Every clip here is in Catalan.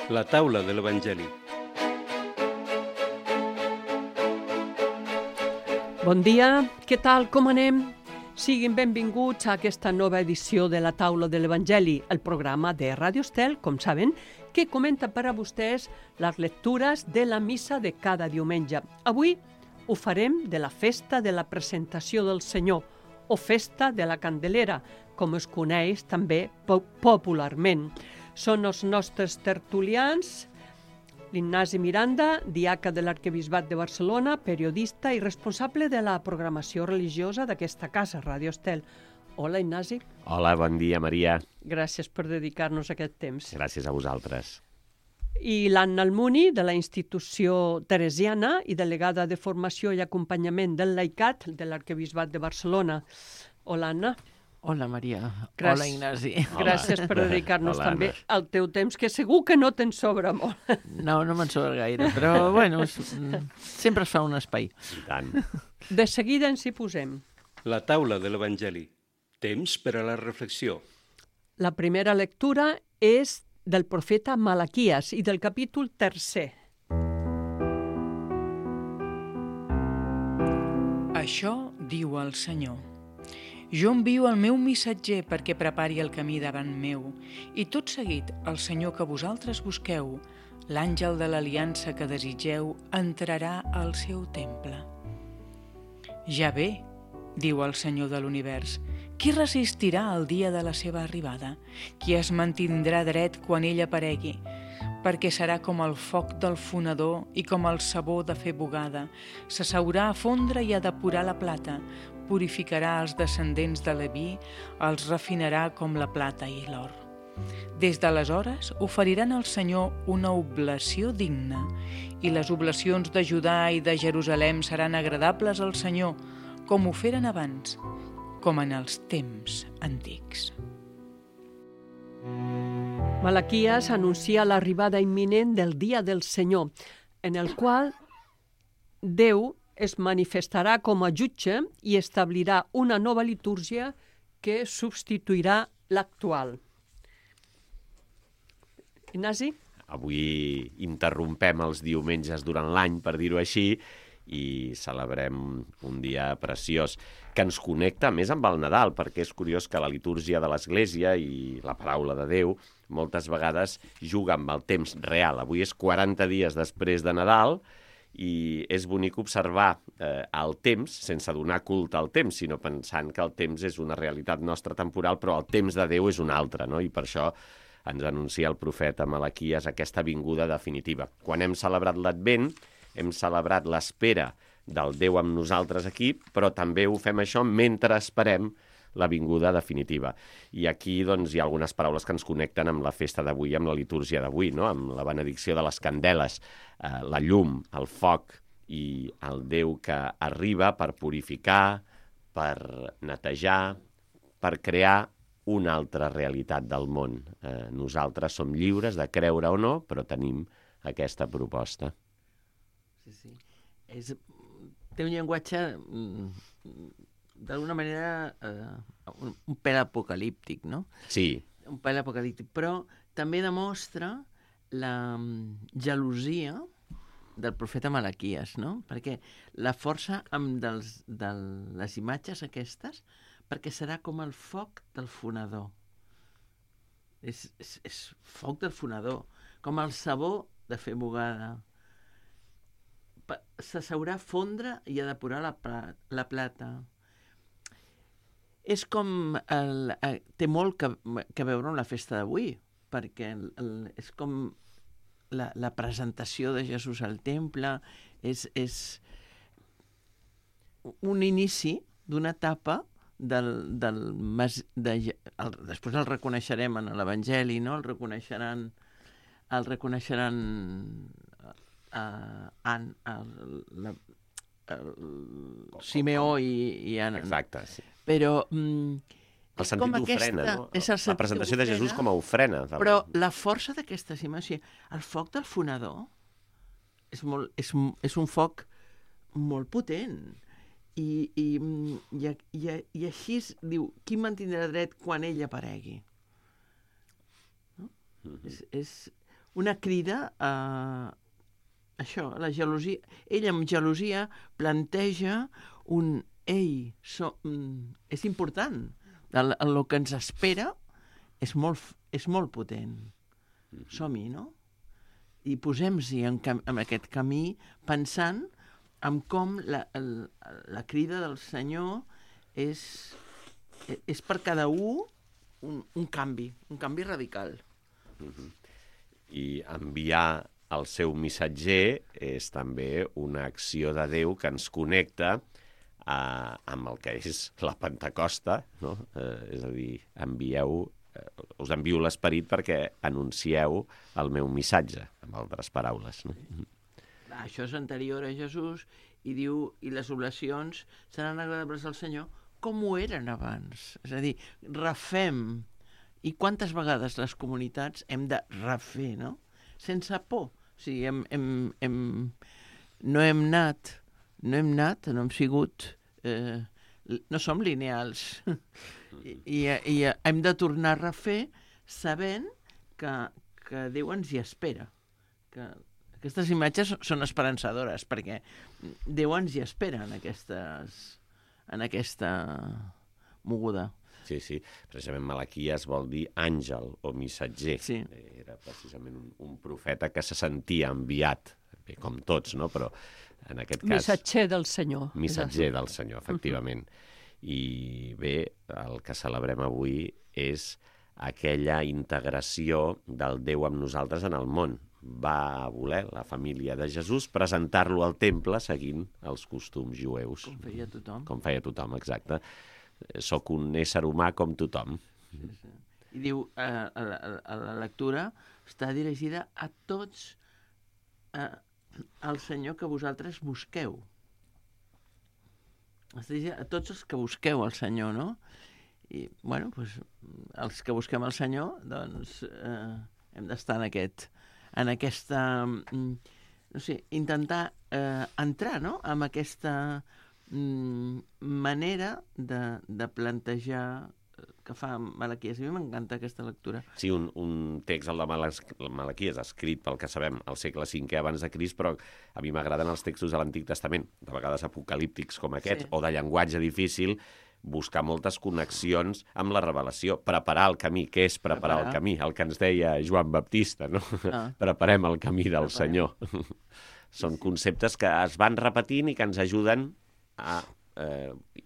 La taula de l'Evangeli. Bon dia, què tal, com anem? Siguin benvinguts a aquesta nova edició de la taula de l'Evangeli, el programa de Radio Estel, com saben, que comenta per a vostès les lectures de la missa de cada diumenge. Avui ho farem de la festa de la presentació del Senyor, o festa de la Candelera, com es coneix també popularment. Són els nostres tertulians, l'Ignasi Miranda, diaca de l'Arquebisbat de Barcelona, periodista i responsable de la programació religiosa d'aquesta casa, Radio Estel. Hola, Ignasi. Hola, bon dia, Maria. Gràcies per dedicar-nos aquest temps. Gràcies a vosaltres. I l'Anna Almuni, de la institució teresiana i delegada de formació i acompanyament del laicat de l'Arquebisbat de Barcelona. Hola, Anna. Hola, Maria. Hola, Ignasi. Gràcies per dedicar-nos Hola, també Anna. al teu temps, que segur que no te'n sobra molt. No me'n sobra gaire, però, bueno, sempre es fa un espai. I tant. De seguida ens hi posem. La taula de l'Evangeli. Temps per a la reflexió. La primera lectura és del profeta Malaquies i del capítol 3. Això diu el Senyor. Jo envio el meu missatger perquè prepari el camí davant meu, i tot seguit el Senyor que vosaltres busqueu, l'àngel de l'aliança que desitgeu, entrarà al seu temple. Ja ve, diu el Senyor de l'univers, qui resistirà al dia de la seva arribada? Qui es mantindrà dret quan ell aparegui? Perquè serà com el foc del fonedor i com el sabó de fer bugada. S'asseurà a fondre i a depurar la plata, purificarà els descendents de Leví, els refinarà com la plata i l'or. Des d'aleshores oferiran al Senyor una oblació digna, i les oblacions de Judà i de Jerusalem seran agradables al Senyor, com ho feren abans, com en els temps antics. Malaquies anuncia l'arribada imminent del dia del Senyor, en el qual Déu es manifestarà com a jutge i establirà una nova litúrgia que substituirà l'actual. Ignasi? Avui interrompem els diumenges durant l'any, per dir-ho així, i celebrem un dia preciós que ens connecta més amb el Nadal, perquè és curiós que la litúrgia de l'Església i la paraula de Déu moltes vegades juga amb el temps real. Avui és 40 dies després de Nadal, i és bonic observar el temps, sense donar culte al temps, sinó pensant que el temps és una realitat nostra temporal, però el temps de Déu és un altre, no? I per això ens anuncia el profeta Malaquies aquesta vinguda definitiva. Quan hem celebrat l'Advent, hem celebrat l'espera del Déu amb nosaltres aquí, però també ho fem això mentre esperem la vinguda definitiva. I aquí doncs, hi ha algunes paraules que ens connecten amb la festa d'avui, amb la litúrgia d'avui, no? Amb la benedicció de les candeles, la llum, el foc i el Déu que arriba per purificar, per netejar, per crear una altra realitat del món. Nosaltres som lliures de creure o no, però tenim aquesta proposta. Sí. Té un llenguatge d'alguna manera un pèl apocalíptic, no? Sí. Un pèl apocalíptic, però també demostra la gelosia del profeta Malaquies, no? Perquè la força de les imatges aquestes, perquè serà com el foc del fonedor. És foc del fonedor, com el sabó de fer bugada. S'asseurà a fondre i a depurar la plata. És com... té molt que veure amb la festa d'avui, perquè és com la presentació de Jesús al temple, és un inici d'una etapa després el reconeixerem en l'Evangeli, no? El reconeixeran Simeó i Anna. Exacte, sí. Però El sentit d'ofrena, no? És el La presentació de Jesús com a ofrena. Però la força d'aquestes imatges, el foc del fonedor és un foc molt potent. I així diu, qui mantindrà dret quan ell aparegui? No? És una crida a això, a la gelosia. Ell amb gelosia planteja és important. El que ens espera és molt potent. Som-hi, no? I posem-hi en aquest camí pensant en com la crida del Senyor és per cada un canvi radical. I enviar el seu missatger és també una acció de Déu que ens connecta amb el que és la Pentecosta, no? És a dir, us envio l'Esperit perquè anuncieu el meu missatge, amb altres paraules. No? Això és anterior a Jesús i diu, i les oblacions seran agradables al Senyor com ho eren abans. És a dir, refem. I quantes vegades les comunitats hem de refer, no? Sense por. O sigui, no hem sigut... no som lineals. I hem de tornar a refer sabent que Déu ens hi espera. Que aquestes imatges són esperançadores, perquè Déu ens hi espera en aquesta moguda. Sí. Precisament Malaquies vol dir àngel o missatger. Sí. Era precisament un profeta que se sentia enviat, bé, com tots, no? Però en aquest cas... Missatger del Senyor. Missatger del Senyor, efectivament. I bé, el que celebrem avui és aquella integració del Déu amb nosaltres en el món. Va voler la família de Jesús presentar-lo al temple seguint els costums jueus. Com feia tothom. Com feia tothom, exacte. Soc un ésser humà com tothom. Sí. I diu, a la lectura està dirigida a tots al Senyor que vosaltres busqueu. Està dirigida a tots els que busqueu el Senyor, no? I, bueno, doncs, els que busquem el Senyor, doncs, hem d'estar en aquesta... no sé, intentar entrar, no?, amb aquesta manera de plantejar que fa Malaquies. A mi m'encanta aquesta lectura. Sí, un text, el de Malaquies, escrit pel que sabem al segle V abans de Crist, però a mi m'agraden els textos de l'Antic Testament, de vegades apocalíptics com aquest, o de llenguatge difícil, buscar moltes connexions amb la revelació, preparar el camí. Què és preparar el camí? El que ens deia Joan Baptista, no? Preparem el camí del Senyor. Són conceptes que es van repetint i que ens ajuden a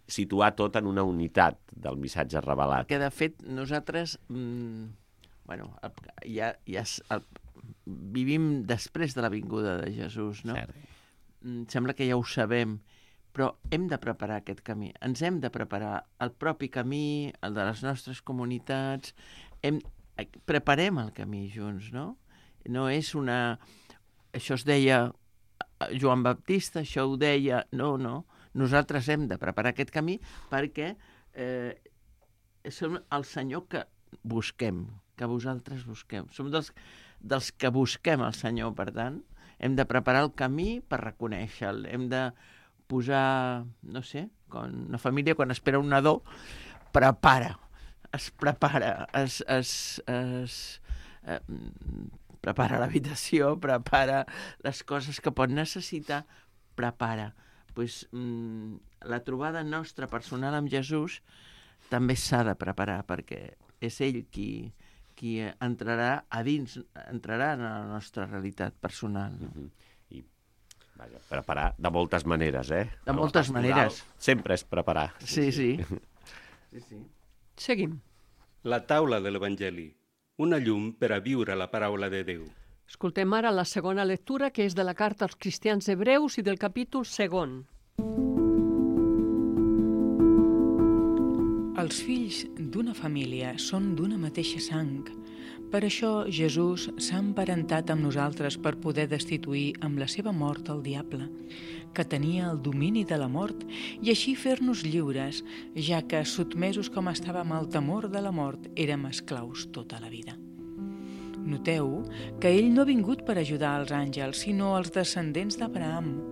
situar tot en una unitat del missatge revelat. Que, de fet, nosaltres vivim després de la vinguda de Jesús, no? Sembla que ja ho sabem, però hem de preparar aquest camí. Ens hem de preparar el propi camí, el de les nostres comunitats. Preparem el camí junts, no? No és una... Això es deia Joan Baptista, això ho deia... No. Nosaltres hem de preparar aquest camí perquè som el Senyor que busquem, que vosaltres busqueu. Som dels que busquem el Senyor, per tant, hem de preparar el camí per reconèixer-lo. Hem de posar, no sé, quan una família, quan espera un nadó, es prepara l'habitació, prepara les coses que pot necessitar, prepara. Pues, la trobada nostra personal amb Jesús també s'ha de preparar, perquè és ell qui entrarà a dins, entrarà en la nostra realitat personal. I preparar de moltes maneres, De moltes maneres. Sempre és preparar. Sí. Seguim. La taula de l'Evangeli, una llum per a viure la paraula de Déu. Escoltem ara la segona lectura, que és de la carta als cristians hebreus i del capítol 2. Els fills d'una família són d'una mateixa sang. Per això Jesús s'ha emparentat amb nosaltres per poder destituir amb la seva mort el diable, que tenia el domini de la mort, i així fer-nos lliures, ja que, sotmesos com estàvem al temor de la mort, érem esclaus tota la vida. Noteu que ell no ha vingut per ajudar els àngels, sinó els descendents d'Abraham.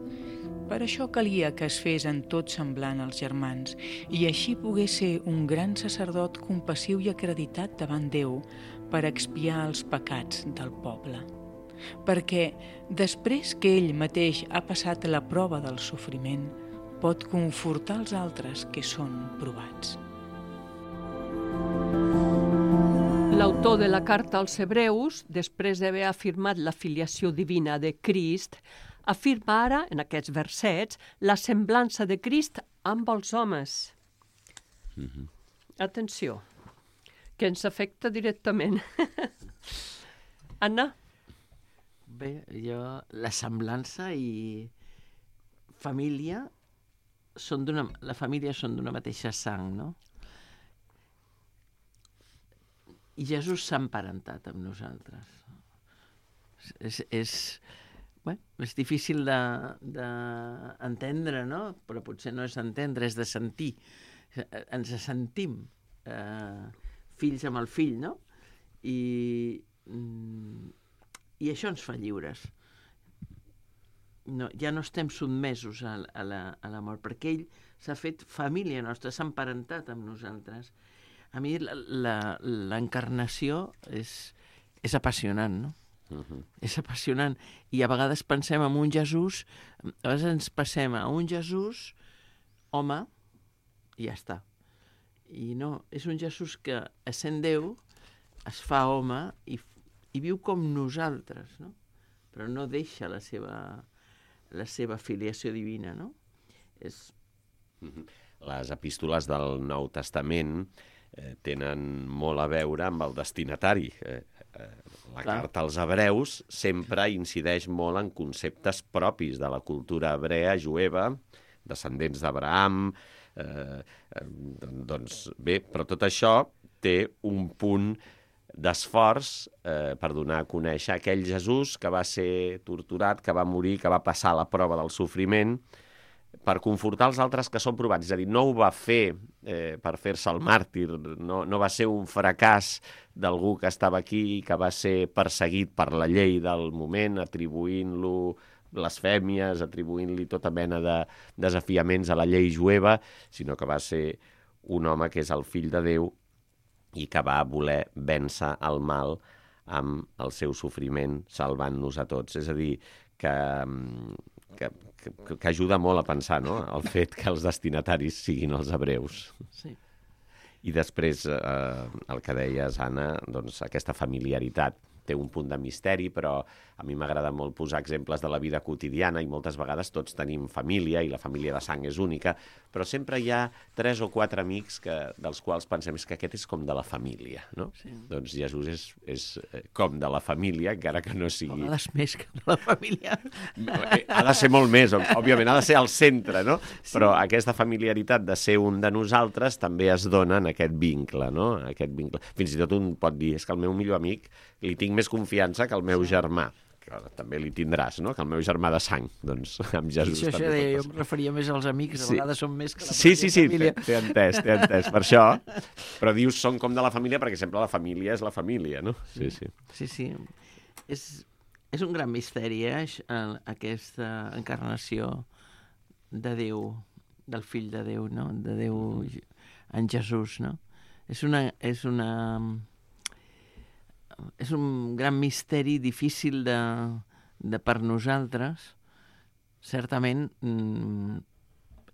Per això calia que es fes en tot semblant als germans, i així pogués ser un gran sacerdot compassiu i acreditat davant Déu per expiar els pecats del poble. perquè després que ell mateix ha passat la prova del sofriment, pot confortar els altres que són provats. L'autor de la carta als Hebreus, després d'haver afirmat la filiació divina de Crist, afirma ara, en aquests versets, la semblança de Crist amb els homes. Atenció, que ens afecta directament. Anna? Bé, la semblança i família la família són d'una mateixa sang, no? I Jesús s'ha emparentat amb nosaltres. És difícil d'entendre, no? Però potser no és entendre, és de sentir. Ens sentim fills amb el fill, no? I això ens fa lliures. Ja no estem sotmesos a la mort, perquè ell s'ha fet família nostra, s'ha emparentat amb nosaltres. A mi l'encarnació és apassionant, no? És apassionant. I a vegades pensem en un Jesús, a vegades ens passem a un Jesús home i ja està. I no, és un Jesús que, essent Déu, es fa home i viu com nosaltres, no? Però no deixa la seva filiació divina, no? Les epístoles del Nou Testament tenen molt a veure amb el destinatari. La carta als Hebreus sempre incideix molt en conceptes propis de la cultura hebrea, jueva, descendents d'Abraham. Doncs bé, però tot això té un punt d'esforç per donar a conèixer aquell Jesús que va ser torturat, que va morir, que va passar la prova del sofriment, per confortar els altres que són provats. És a dir, no ho va fer per fer-se el màrtir, no va ser un fracàs d'algú que estava aquí i que va ser perseguit per la llei del moment, atribuint-lo blasfèmies, atribuint-li tota mena de desafiaments a la llei jueva, sinó que va ser un home que és el fill de Déu i que va voler vèncer el mal amb el seu sofriment, salvant-nos a tots. És a dir, que ajuda molt a pensar, no?, el fet que els destinataris siguin els hebreus. Sí. I després, el que deies, Anna, doncs aquesta familiaritat té un punt de misteri, però a mi m'agrada molt posar exemples de la vida quotidiana i moltes vegades tots tenim família i la família de sang és única, però sempre hi ha 3 o 4 amics dels quals pensem que aquest és com de la família, no? Sí. Doncs Jesús és com de la família, encara que no sigui... A vegades més que de la família. Ha de ser molt més, òbviament, ha de ser al centre, no? Sí. Però aquesta familiaritat de ser un de nosaltres també es dona en aquest vincle, no? Aquest vincle. Fins i tot un pot dir, és que el meu millor amic li tinc més confiança que el meu germà, que també li tindràs, no?, que el meu germà de sang, doncs amb Jesús això també jo em referia més als amics, a vegades són més que la família. Sí, t'he entès, per això, però dius són com de la família perquè sempre la família és la família, no? Sí. És un gran misteri, aquesta encarnació de Déu, del fill de Déu, no?, de Déu en Jesús, no? És un gran misteri difícil per nosaltres. Certament,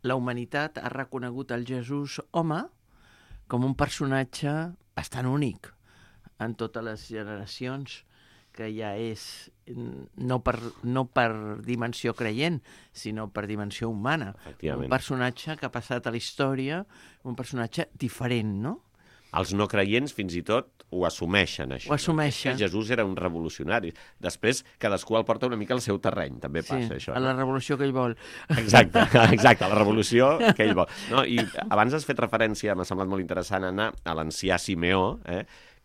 la humanitat ha reconegut el Jesús home com un personatge bastant únic en totes les generacions, que ja és no per dimensió creient, sinó per dimensió humana. Un personatge que ha passat a la història, un personatge diferent, no? Els no creients fins i tot ho assumeixen, això. Ho assumeixen. Que Jesús era un revolucionari. Després, cadascú el porta una mica al seu terreny, també passa això. A la revolució que ell vol. Exacte, a la revolució que ell vol. No, i abans has fet referència, m'ha semblat molt interessant, Anna, a l'ancià Simeó,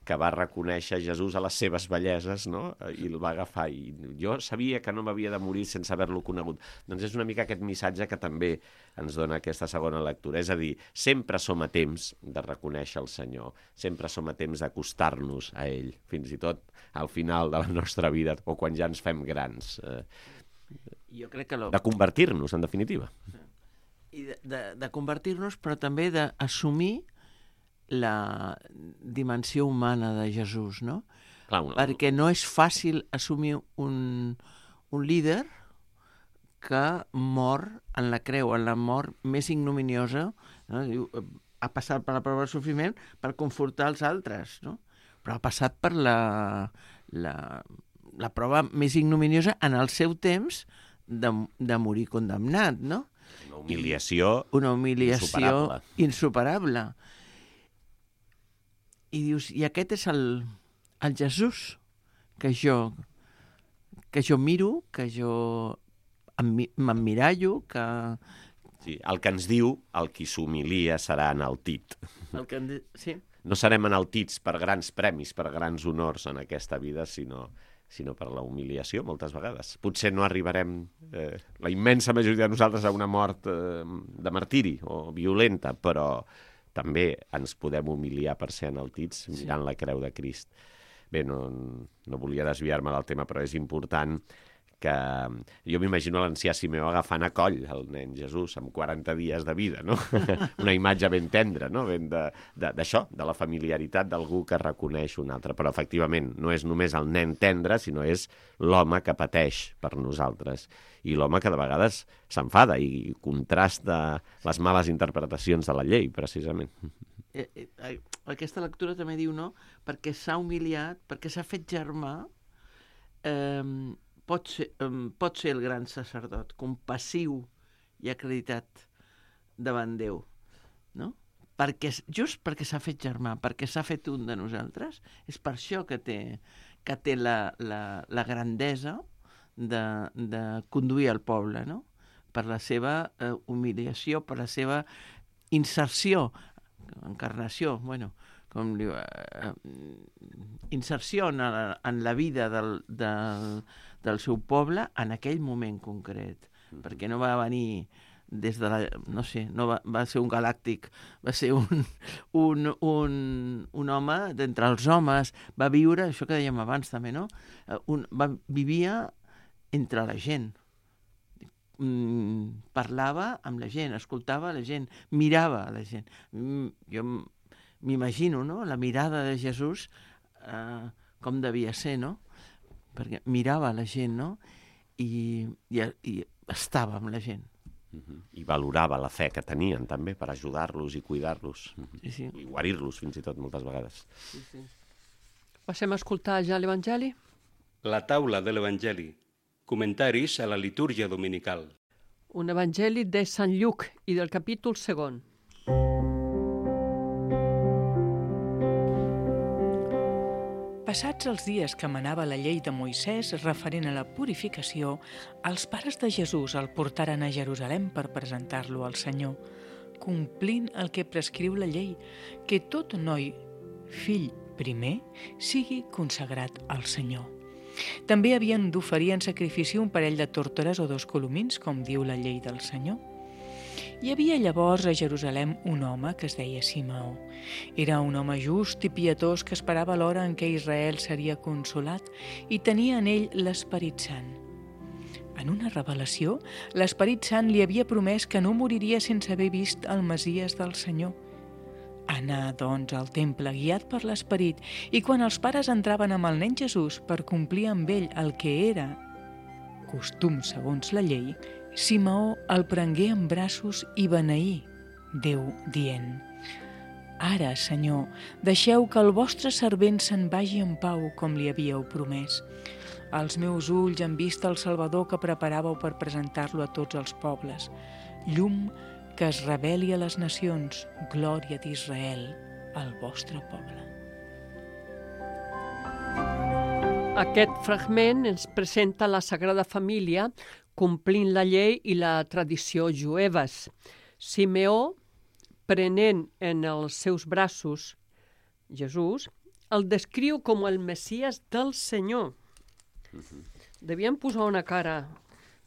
que va reconèixer Jesús a les seves belleses, no?, i el va agafar. I jo sabia que no m'havia de morir sense haver-lo conegut. Doncs és una mica aquest missatge que també ens dona aquesta segona lectura. És a dir, sempre som a temps de reconèixer el Senyor, sempre som a temps d'acostar-nos a ell, fins i tot al final de la nostra vida, o quan ja ens fem grans. Jo crec que de convertir-nos, en definitiva. I de convertir-nos, però també d'assumir la dimensió humana de Jesús, no? Clar, perquè no és fàcil assumir un líder que mor en la creu, en la mort més ignominiosa, no? Diu, ha passat per la prova del sofriment per confortar els altres, no? Però ha passat per la prova més ignominiosa en el seu temps de morir condemnat, no? Una humiliació insuperable. I dius, i aquest és el Jesús que jo miro, que jo m'emmirallo, que... Sí, el que ens diu, el qui s'humilia serà enaltit. Sí. No serem enaltits per grans premis, per grans honors en aquesta vida, sinó per la humiliació, moltes vegades. Potser no arribarem, la immensa majoria de nosaltres, a una mort de martiri o violenta, però també ens podem humiliar per ser enaltits mirant la creu de Crist. Bé, no volia desviar-me del tema, però és important que jo m'imagino l'ancià Simeó agafant a coll el nen Jesús amb 40 dies de vida, no? Una imatge ben tendra, no? Ben d'això, de la familiaritat d'algú que reconeix un altre. Però, efectivament, no és només el nen tendre, sinó és l'home que pateix per nosaltres. I l'home que de vegades s'enfada i contrasta les males interpretacions de la llei, precisament. Aquesta lectura també diu, no? Perquè s'ha humiliat, perquè s'ha fet germà, pot ser el gran sacerdot, compassiu i acreditat davant Déu, no? Just perquè s'ha fet germà, perquè s'ha fet un de nosaltres, és per això que té la grandesa de conduir el poble, no? Per la seva humiliació, per la seva inserció, encarnació, bueno, com diu, inserció en la vida del seu poble en aquell moment concret, perquè no va venir des de la... no sé, no va ser un galàctic, va ser un home d'entre els homes, va viure, això que dèiem abans també, no? Vivia entre la gent, parlava amb la gent, escoltava la gent, mirava la gent. Jo m'imagino, no?, la mirada de Jesús, com devia ser, no? Perquè mirava la gent, no? I estava amb la gent. I valorava la fe que tenien, també, per ajudar-los i cuidar-los. Sí. I guarir-los, fins i tot, moltes vegades. Sí. Passem a escoltar ja l'Evangeli? La taula de l'Evangeli. Comentaris a la litúrgia dominical. Un Evangeli de Sant Lluc i del capítol 2. Passats els dies que manava la llei de Moisès referent a la purificació, els pares de Jesús el portaren a Jerusalem per presentar-lo al Senyor, complint el que prescriu la llei, que tot noi, fill primer, sigui consagrat al Senyor. També havien d'oferir en sacrifici un parell de tórtores o 2 colomins, com diu la llei del Senyor. Hi havia llavors a Jerusalem un home que es deia Simeó. Era un home just i pietós que esperava l'hora en què Israel seria consolat i tenia en ell l'Esperit Sant. En una revelació, l'Esperit Sant li havia promès que no moriria sense haver vist el Messies del Senyor. Anà, doncs, al temple, guiat per l'Esperit, i quan els pares entraven amb el nen Jesús per complir amb ell el que era costum segons la llei, Simeó el prengué en braços i beneí Déu, dient: «Ara, Senyor, deixeu que el vostre servent se'n vagi en pau com li havíeu promès. Els meus ulls han vist el Salvador que preparàveu per presentar-lo a tots els pobles. Llum que es reveli a les nacions, glòria d'Israel, al vostre poble». Aquest fragment ens presenta la Sagrada Família complint la llei i la tradició jueves. Simeó, prenent en els seus braços Jesús, el descriu com el Messies del Senyor. Devien posar una cara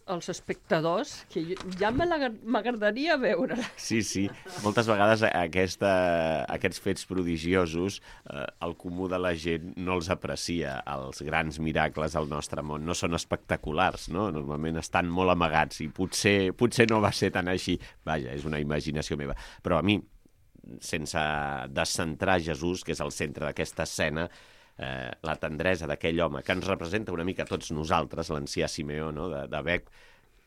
als espectadors, que ja m'agradaria veure-la. Sí. Moltes vegades aquests fets prodigiosos, el comú de la gent no els aprecia. Els grans miracles del nostre món no són espectaculars, no? Normalment estan molt amagats i potser no va ser tan així. Vaja, és una imaginació meva. Però a mi, sense descentrar Jesús, que és el centre d'aquesta escena, la tendresa d'aquell home que ens representa una mica tots nosaltres, l'ancià Simeó, no? d'haver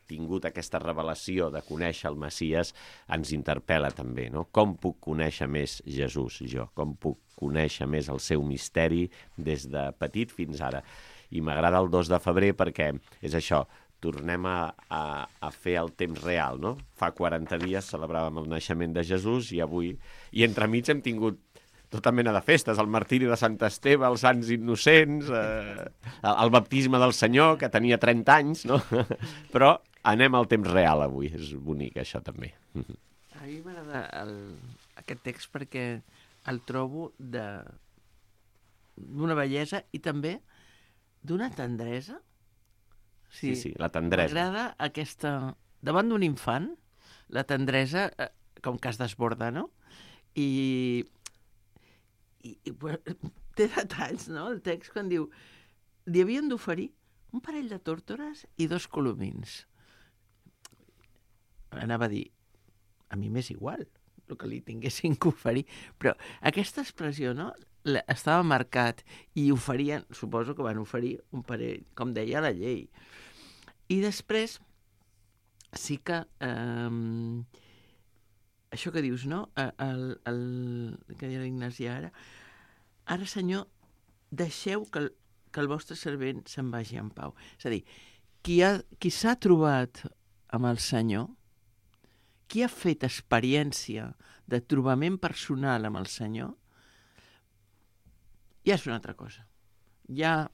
tingut aquesta revelació de conèixer el Messies, ens interpel·la també, no? Com puc conèixer més Jesús, jo? Com puc conèixer més el seu misteri des de petit fins ara? I m'agrada el 2 de febrer perquè és això, tornem a fer el temps real, no? Fa 40 dies celebràvem el naixement de Jesús i avui, i entremig hem tingut tota mena de festes, el martiri de Sant Esteve, els Sants Innocents, el baptisme del Senyor, que tenia 30 anys, no? Però anem al temps real avui, és bonic això també. A mi m'agrada aquest text perquè el trobo d'una bellesa i també d'una tendresa. Sí, la tendresa. M'agrada aquesta... Davant d'un infant, la tendresa com que es desborda, no? I té detalls, no? El text quan diu li havien d'oferir un parell de tórtores i 2 colomins. Anava a dir, a mi m'és igual el que li tinguessin que oferir, però aquesta expressió, no? Estava marcat i oferien, suposo que van oferir un parell, com deia la llei. I després sí que això que dius, no? Que deia l'Ignasi ara, Senyor, deixeu que el vostre servent se'n vagi en pau. És a dir, qui s'ha trobat amb el Senyor, qui ha fet experiència de trobament personal amb el Senyor, ja és una altra cosa. Ja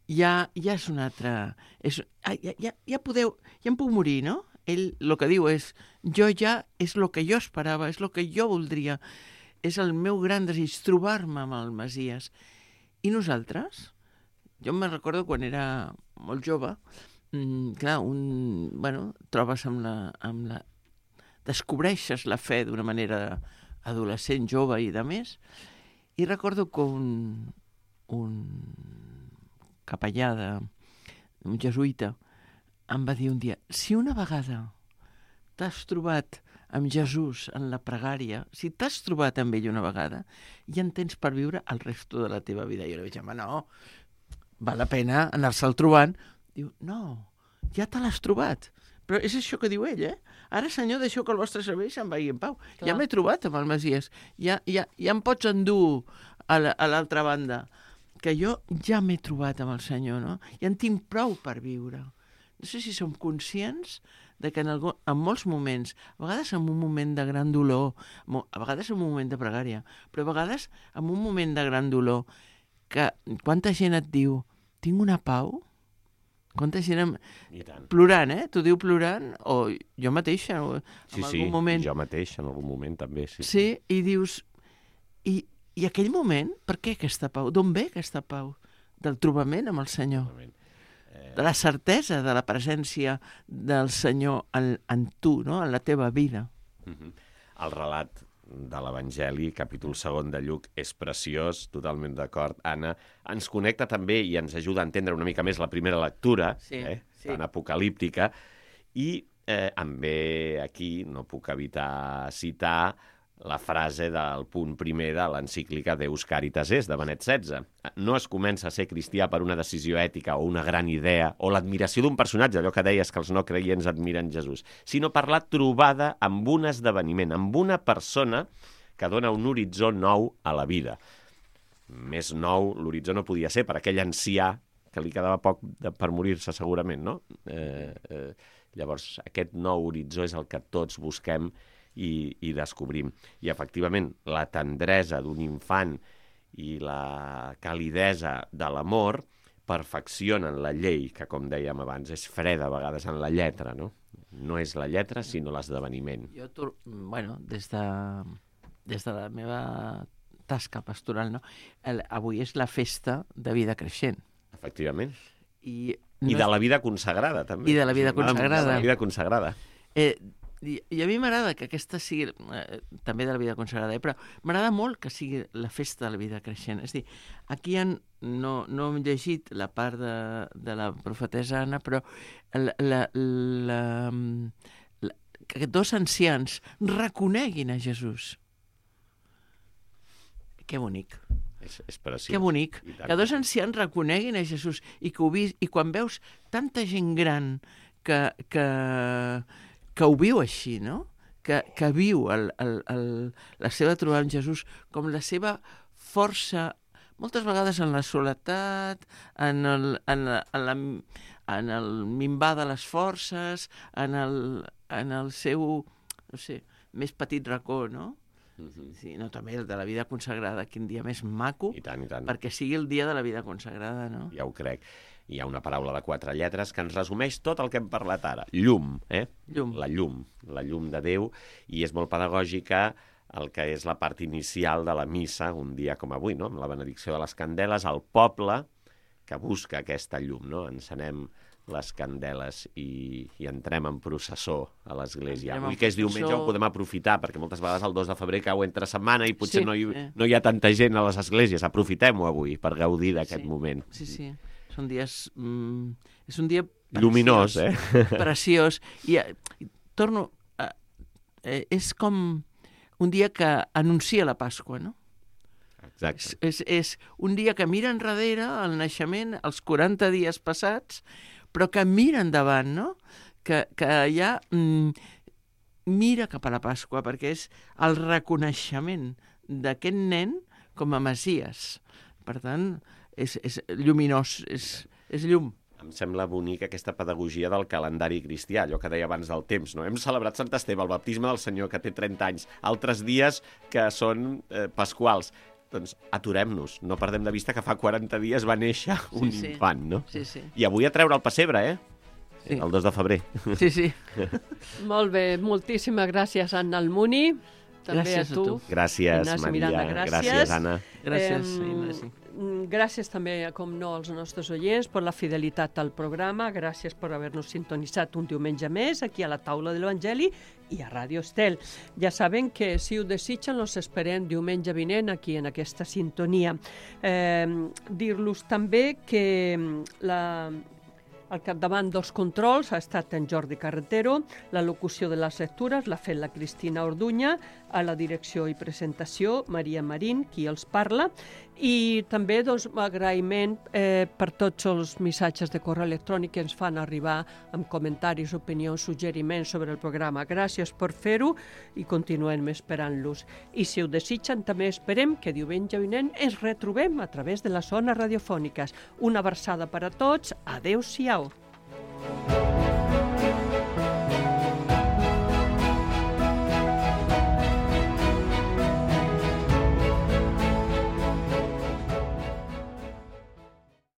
és una altra... Ja em puc morir, no? Ell el que diu és, és el que jo esperava, és el que jo voldria, és el meu gran desig, trobar-me amb el Messies. I nosaltres? Jo me'n recordo quan era molt jove, clar, trobes descobreixes la fe d'una manera adolescent, jove i de més, i recordo que un capellà, un jesuïta, em va dir un dia, si una vegada t'has trobat amb Jesús en la pregària, si t'has trobat amb ell una vegada, ja en tens per viure el resto de la teva vida. Jo li vaig dir, home, no, val la pena anar-se'l trobant. Diu, no, ja te l'has trobat. Però és això que diu ell, eh? Ara, Senyor, deixeu que el vostre servei se'n vagi en pau. Clar. Ja m'he trobat amb el Messies. Ja em pots endur a l'altra banda. Que jo ja m'he trobat amb el Senyor, no? Ja en tinc prou per viure. No sé si som conscients de que en molts moments, a vegades en un moment de gran dolor, a vegades en un moment de pregària, però a vegades en un moment de gran dolor, que quanta gent et diu, tinc una pau? Quanta gent plorant, eh? T'ho diu plorant, o jo mateixa, en algun moment. Sí, jo mateix, en algun moment també. Sí, i dius, i aquell moment, per què aquesta pau? D'on ve aquesta pau? Del trobament amb el Senyor. De la certesa de la presència del Senyor en tu, no? En la teva vida. El relat de l'Evangeli, capítol 2 de Lluc, és preciós, totalment d'acord, Anna. Ens connecta també i ens ajuda a entendre una mica més la primera lectura, tan apocalíptica, i em ve aquí, no puc evitar citar la frase del punt primer de l'encíclica Deus Caritas Est, de Benet XVI. No es comença a ser cristià per una decisió ètica o una gran idea o l'admiració d'un personatge, allò que deies que els no creients admiren Jesús, sinó per la trobada amb un esdeveniment, amb una persona que dona un horitzó nou a la vida. Més nou l'horitzó no podia ser per aquell ancià que li quedava poc per morir-se segurament, no? Llavors, aquest nou horitzó és el que tots busquem i descobrim. I efectivament, la tendresa d'un infant i la calidesa de l'amor perfeccionen la llei, que com dèiem abans, és freda a vegades en la lletra, no? No és la lletra, sinó l'esdeveniment. Jo, des de la meva tasca pastoral, no? Avui és la festa de vida creixent. Efectivament. I de la vida consagrada, també. I de la vida consagrada. De la vida consagrada. I a mi m'agrada que aquesta sigui, també de la vida consagrada, però m'agrada molt que sigui la festa de la vida creixent. És a dir, aquí no hem llegit la part de la profetessa Anna, però que dos ancians reconeguin a Jesús. Que bonic. És preciós. Que bonic. I tant. Que dos ancians reconeguin a Jesús i que i quan veus tanta gent gran que ho viu així, no? Que viu la seva trobada amb Jesús com la seva força, moltes vegades en la soledat, en el minvar de les forces, en el seu, no sé, més petit racó, no? Sí, no, també el de la vida consagrada, quin dia més maco, I tant, i tant. perquè sigui el dia de la vida consagrada, no? Ja ho crec. Hi ha una paraula de 4 lletres que ens resumeix tot el que hem parlat ara. Llum, Llum. La llum de Déu, i és molt pedagògica el que és la part inicial de la missa, un dia com avui, no? Amb la benedicció de les candeles, el poble que busca aquesta llum, no? Encenem les candeles i entrem en processó a l'església. Entrem en Avui que és diumenge processó. ho podem aprofitar, perquè moltes vegades el 2 de febrer cau entre setmana i potser Sí. no hi ha tanta gent a les esglésies. Aprofitem-ho avui per gaudir d'aquest moment. Sí, sí. Són dies... és un dia preciós, Lluminós, preciós. I torno... és com un dia que anuncia la Pasqua, no? Exacte. És un dia que mira enrere el naixement, els 40 dies passats, però que mira endavant, no? Que ja mira cap a la Pasqua, perquè és el reconeixement d'aquest nen com a Messies. Per tant, és lluminós, és llum. Em sembla bonic aquesta pedagogia del calendari cristià, allò que deia abans del temps, no? Hem celebrat Sant Esteve, el baptisme del Senyor, que té 30 anys, altres dies que són pasquals. Doncs aturem-nos, no perdem de vista que fa 40 dies va néixer un infant, no? Sí, sí. I avui a treure el pessebre, Sí. El 2 de febrer. Sí, sí. Molt bé, moltíssimes gràcies, Anna Almuni. També Gràcies a tu. Gràcies, Ignasi Maria. Miranda, gràcies. Gràcies, Anna. Gràcies, Ignasi. Gràcies també, com no, als nostres oients per la fidelitat al programa. Gràcies per haver-nos sintonitzat un diumenge més aquí a la taula de l'Evangeli i a Ràdio Estel. Ja saben que si ho desitgen els esperem diumenge vinent aquí en aquesta sintonia. Dir-los també que al capdavant dels controls ha estat en Jordi Carretero, la locució de les lectures l'ha fet la Cristina Orduña, a la direcció i presentació Maria Marín, qui els parla, i també agraïment per tots els missatges de correu electrònic que ens fan arribar amb comentaris, opinions, suggeriments sobre el programa. Gràcies per fer-ho i continuem esperant-los. I si ho desitgen, també esperem que diumenge vinent ens retrobem a través de les zones radiofòniques. Una abraçada per a tots. Adéu-siau.